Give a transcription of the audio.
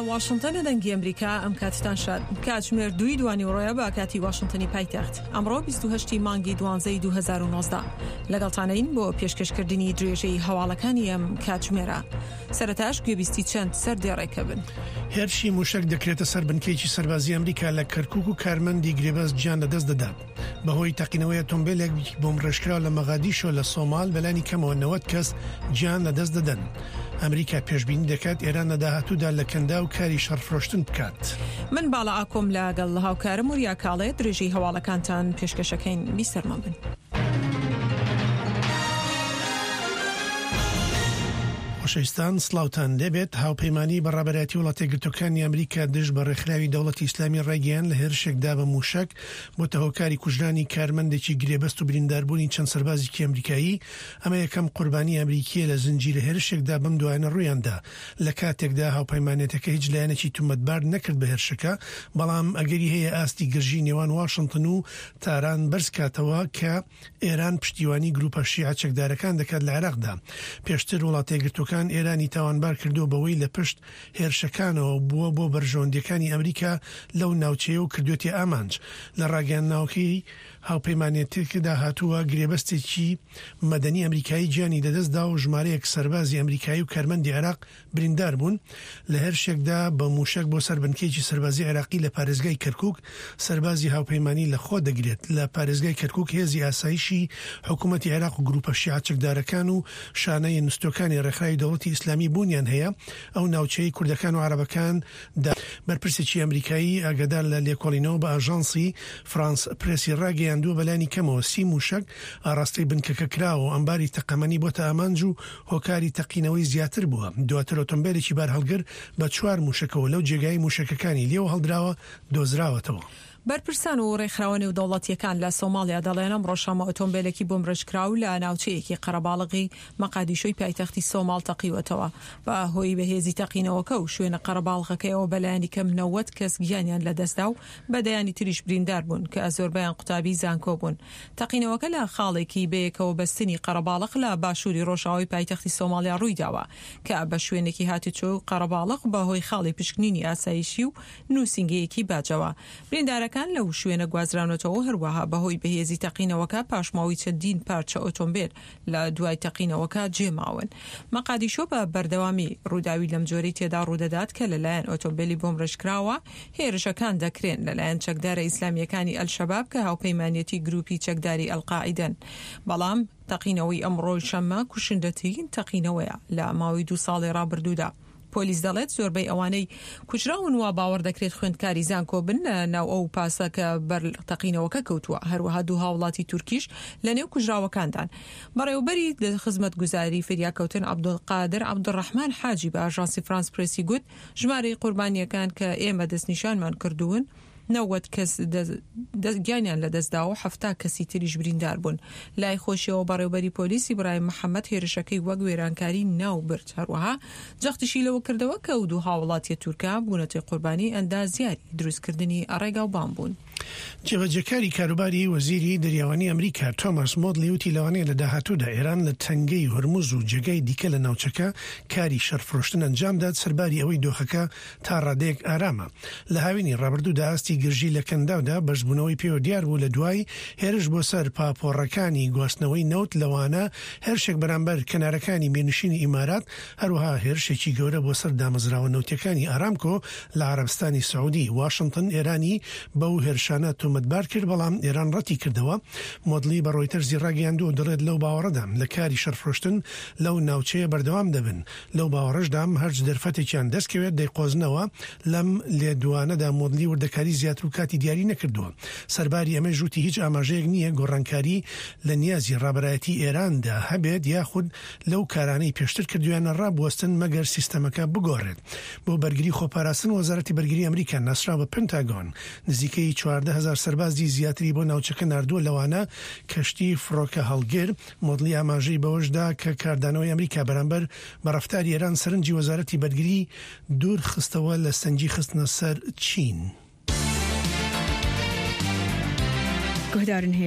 واشنتن دەنگی ئەمریکا ئەم کاتتان شاد. کاتژمێر دووی دوانیوەڕۆیە بە کاتی واشنتنی پایتەخت. ئەمڕۆ 28 ی مانگی دوانزەی 2019. لەگەڵتانین بۆ پێشکەشکردنی درێژەی هەواڵەکانی ئەم کاتژمێرە. سەرەتاش گوێبیستی چەند سەردێڕێکە بن. هێرشی مووشەک دەکرێتە سەر بنکەیەکی سەربازی ئەمریکا لە کەرکووک و کارمەندی گرێبەست گیان لەدەست دەدات. بەهۆی تەقینەوەی ئۆتۆمبێلێک بۆمبڕێژکراو لە مەغادیشۆ لە سۆمال بەلانی کەمەوە 90 کەس گیان لەدەست دەدەن. ئەمریکا پێشبینی دەکات ئێران لە داهاتوودا لە کەنداو کاری شەڕفرۆشتن بکات. من باڵا ئاکۆم لەگەڵ هاوکارم وریا کاڵێ درێژەی هەواڵەکانتان پێشکەشەکەین بیسەرمان بن. خۆشەویستان سڵاوتان لێبێت هاوپەیمانی بە ڕابەرایەتی وڵاتەیەکگرتووەکانی ئەمریکا دژ بە ڕێکخراوی دەوڵەتی ئیسلامی ڕایگەیاند لە هێرشێکدا بە مووشەک بۆتە هۆکاری کوژرانی کارمەندێکی گرێبەست و برینداربوونی چەند سەربازێکی ئەمریکایی، ئەمە یەکەم قوربانی ئەمریکییە لە زنجیرە هێرشێکدا بەم دوایانە ڕوویاندا، لە کاتێکدا هاوپەیمانێتەکە هیچ لایەنێکی تومەتبار نەکرد بە هێرشەکە، بەڵام ئەگەری هەیە ئاستی گرژی نێوان واشنتن و تاران بەرزکاتەوە کە ئێران پشتیوانی گروپە شیعە چەکدارەکان دەکات لە عێراقدا. پێشتر وڵاتەیەکگرتووەکان ئێرانی تاوانبار کردووە بەوەی لە پشت هێرشەکانەوە بووە بۆ بەرژەوەندییەکانی ئەمریکا لەو ناوچەیە و کردوێتی ئامانج. لە ڕاگەیاندناوەکەی هاوپەیمانێتیەکەدا هاتووە، گرێبەستێکی مەدەنی ئەمریکایی گیانی لەدەستدا و ژمارەیەک سەربازی ئەمریکایی و کارمەندی عێراق بریندار بوون لە هێرشێکدا بە مووشەک بۆ سەر بنکەیەکی سەربازی عێراقی لە پارێزگای کەرکوک سەربازی هاوپەیمانی لە خۆ دەگرێت. لە پارێزگای کەرکوک هێزی ئاسایشی حکوومەتی عێراق و گرووپە شیعە چەکدارەکان و شانە نوستووەکانی ڕێکخراوی دەوڵەتی ئیسلامی بوونیان هەیە ئەو ناوچەیەی کوردەکان و عەرەبەکان دا. بەرپرسێکی ئەمریکایی ئاگادار لە لێکۆڵینەوە بە ئاژانسی فرانس پرێسی ڕاگەیاندووە بەلانی کەمەوە سی مووشەک ئاڕاستەی بنکەکە کراوە و ئەمباری تەقەمەنی بۆتە ئامانج و هۆکاری تەقینەوەی زیاتر بووە، دواتر ئۆتۆمبێلێکی بارهەڵگر بە چوار مووشەکەوە لەو جێگایەی مووشەکەکانی لێوە هەڵدراوە دۆزراوەتەوە. بەرپرسان و رێکخراوە نێودەوڵەتییەکان لە سۆماڵیا دەڵێن، ئەمڕۆ شەممە ئۆتۆمبێلێکی بۆمبڕێژکراو لە ناوچەیەکی قەرەباڵغی مەقادیشۆی پایتەختی سۆماڵ تەقیوەتەوە. بە هۆی بەهێزی تەقینەوەکە و شوێنە قەرەباڵغەکەیەوە بەلایەنیکەم 90 کەس گیانیان لەدەستدا و بە دەیانی تریش بریندار بوون کە زۆربەیان قوتابی زانکۆ بوون. تەقینەوەکە لە خاڵێکی بەیەکەوە بەستنی قەرەباڵغ لە باشووری ڕۆژئاوای پایتەختی سۆماڵیا ڕوویداوە کە بە شوێنێکی هاتوچۆ و قەرەباڵغ بە هۆی خاڵی پشکنینی ئاسایشی و نووسینگەیەکی باجەوە بریندارەکان لەو شوێنە گوازراونەتەوە و هەروەها بە هۆی بەهێزی تەقینەوەکە پاشماوەی چەندین پارچە ئۆتۆمبێل لە دوای تەقینەوەکە جێماون. مەقادیشۆ بە بەردەوامی ڕووداوی لەمجۆرەی تێدا ڕوودەدات کە لەلایەن ئۆتۆمبێلی بۆمبڕێژکراوە هێرشەکان دەکرێن لەلایەن چەکدارە ئیسلامییەکانی ئەلشەباب کە هاوپەیمانیەتی گروپی چەکداری ئەلقاعیدەن بەڵام تەقینەوەی ئەمڕۆی شەممە کوشندەترین تەقینەوەیە لە ماوەی دوو ساڵی ڕابردوودا. پۆلیس دەڵێت زۆربەی ئەوانەی کوژراون وا باوەڕ دەکرێت خوێندکاری زانکۆ بن لە ناو ئەو پاسە کە بەر تەقینەوەکە کەوتووە، هەروەها دوو هاوڵاتی تورکیش لە نێو کوژراوەکاندان. بەڕێوەبەری خزمەتگوزاری فریاکەوتن عەبدولقادر عەبدولڕەحمان حاجی بە ئاژانسی فرانس پرێسی گوت، ژمارەی قوربانییەکان کە ئێمە دەستنیشانمان کردوون، 90 کەس گیانیان لەدەستدا و 70 کەسی تریش بریندار بوون. لای خۆشیەوە بەڕێوبەری پۆلیس ئیبراهیم محەمەد هێرشەکەی وەک وێرانکاری ناوبرد. هەروەها جەختیشی لەوە کردەوە کە ئەو دوو هاوڵاتیە تورکە بوونەتە قوربانی ئەندازیاری دروستکردنی ڕێگاوبان بوون. جێبەجێکاری کاروباری وەزیری دەریاوانی ئەمریکا تۆماس مۆدلی وتی لەوانەیە لە داهاتوودا ئێران لە تەنگەی هورمز و جێگای دیکە لە ناوچەکە کاری شەڕفرۆشتن ئەنجامدات سەرباری ئەوەی دۆخەکە تا ڕادەیەک ئارامە. لە هاوینی ڕابردوودا ئاستی گرژی لە کەنداودا بەرزبوونەوەی پێوە دیار بوو لە دوای هێرش بۆ سەر پاپۆڕەکانی گواستنەوەی نەوت لەوانە هێرشێک بەرامبەر کەنارەکانی میرنشینی ئیمارات هەروەها هێرشێکی گەورە بۆ سەر دامەزراوە نەوتیەکانی ئارامکۆ لە عەرەبستانی سعودی. واشنتن ئێرانی بەو هێرشانە تۆمەتبار کرد بەڵام ئێران ڕەتی کردەوە. مۆدلی بە ڕۆیتەرزی ڕاگەیاندووە و دەڵێت لەو باوەڕەدام لە کاری شەڕفرۆشتن لەو ناوچەیە بەردەوام دەبن. لەو باوەڕەشدام هەرچ دەرفەتێکیان دەستکەوێت دەیقۆزنەوە، لەم لێدوانەدا مۆدلی وردەکاری زیاتر و کاتی دیاری نەکردووە. سەرباری ئەمەیش وتی هیچ ئاماژەیەک نییە گۆڕانکاری لە نیازی ڕابەرایەتی ئێراندا هەبێت یاخود لەو کارانەی پێشتر کردوویانە ڕابوەستن مەگەر سیستەمەکە بگۆڕێت. بۆ بەرگری خۆپاراستن وەزارەتی بەرگری ئەمریکا ناسراو بە پنتاگۆن نزیکەی 14 هەزار سەربازی زیاتری بۆ ناوچەکە ناردووە لەوانە کەشتی فڕۆکەهەڵگر مۆدلی ئاماژەی بەوەش دا کە کاردانەوەی ئەمریکا بەرامبەر بە ڕەفتاری ئێران سەرنجی وەزارەتی بەرگری دوور خستەوە لە سەنگی خستنە سەر چین.